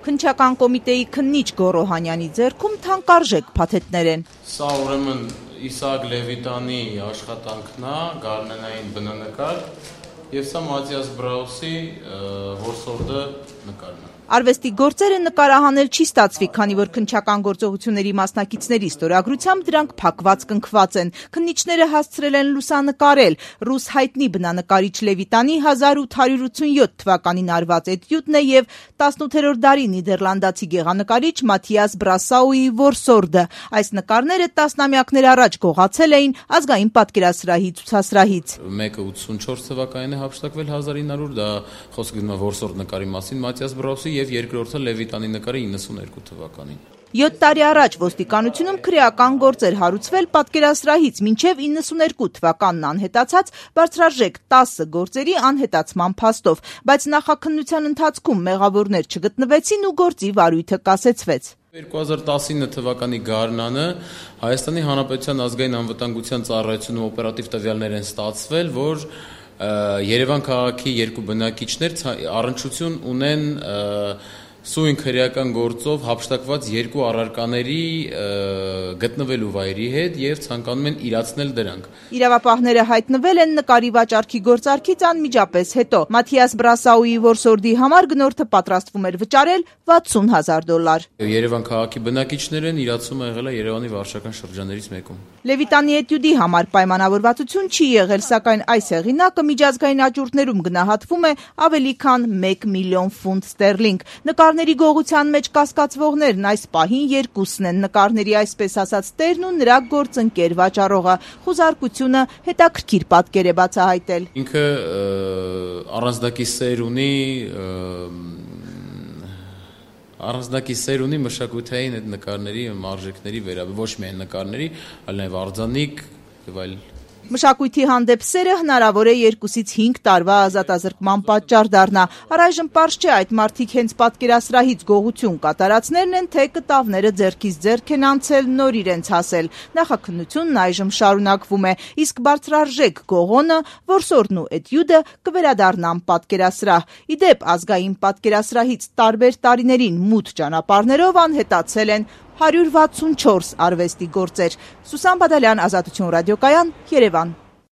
Քննչական կոմիտեի քննիչ Գոռո Հանյանի ձեռքում թանկարժեք փաթեթներ են։ Սա ուրեմն Իսահակ Լևիտանի աշխատանքն է, գարնանային բնանկար, եւ սա Մաթիաս Բրաուսի որսորդը նկարն է։ Արվեստի գործերը նկարահանել չի ստացվի, քանի որ քննչական գործողությունների մասնակիցների ստորագրությամբ դրանք փակված կնքված են։ Քննիչները հասցրել են լուսանկարել ռուս հայտնի բնանկարիչ Լևիտանի 1887 թվականին արված էտյուդն է եւ 18-րդ դարի նիդերլանդացի գեղանկարիչ Մաթիաս Բրասաուի որսորդը։ Այս նկարները տասնամյակներ առաջ գողացել էին Ազգային պատկերասրահի ցուցասրահից։ Մեկը 84 թվականին է հափշտակվել 1900, դա խոսքը գնում է որսորդ նկարի մասին Մաթիաս Բրաուսի եւ երկրորդը Լևիտանի նկարը 92 թվականին։ 7 տարի առաջ ոստիկանությունում քրեական գործեր հարուցվել պատկերասրահից մինչև 92 թվականն անհետացած բարձրարժեք 10 գործերի անհետացման փաստով, բայց նախաքննության ընթացքում մեղավորներ չգտնվեցին ու գործի վարույթը կասեցվեց։ 2019 թվականի գարնանը Հայաստանի Հանրապետության ազգային անվտանգության ծառայությունում օպերատիվ տվյալներ են ստացվել, որ Երևան քաղաքի երկու բնակիչներ առնչություն ունեն սույն քրեական գործով հափշտակված երկու առարկաների գտնվելու վայրի հետ եւ ցանկանում են իրացնել դրանք։ Իրավապահները հայտնվել են նկարի վաճառքի գործարքից անմիջապես հետո։ Մաթիաս Բրասաուի որսորդի համար գնորդը պատրաստվում էր վճարել $60,000։ Երևան քաղաքի բնակիչներն իրացումը եղել է Երևանի վարչական շրջաններից մեկում։ Լևիտանի էտյուդի համար պայմանավորվածություն չի եղել, սակայն այս հեղինակը միջազգային աճուրդներում գնահատվում է ավելի քան 1 միլիոն ֆունտ ստերլինգ։ Նկարների գողության մեջ կասկածվողներն այս պահին երկուսն են՝ նկարների այսպես ասած տերն ու նրա գործընկեր վաճառողը։ Խուզարկությունը հետաքրքիր պատկեր է բացահայտել։ Ինքը առանձնակի սեր ունի մշակութային այդ նկարների արժեքների վերաբերյալ, ոչ միայն նկարների, այլ նաև արձանիկ եւ այլ։ Մշակույթի հանդեպ սերը հնարավոր է 2-ից 5 տարվա ազատազրկման պատճառ դառնա։ Առայժմ պարզ չէ այդ մարդիկ հենց պատկերասրահից գողություն կատարածներն են, թե կտավները ձեռքից ձեռք են անցել, նոր իրենց հասել։ Նախաքննությունն այժմ շարունակվում է, իսկ բարձրարժեք գողոնը, որսորդն ու էտյուդը կվերադառնան պատկերասրահ։ Ի դեպ, ազգային պատկերասրահից տարբեր տարիներին մութ ճանապարհներով անհետացել են 164 արվեստի գործեր։ Սուսան Բադալյան, Ազատություն ռադիոկայան, Երևան։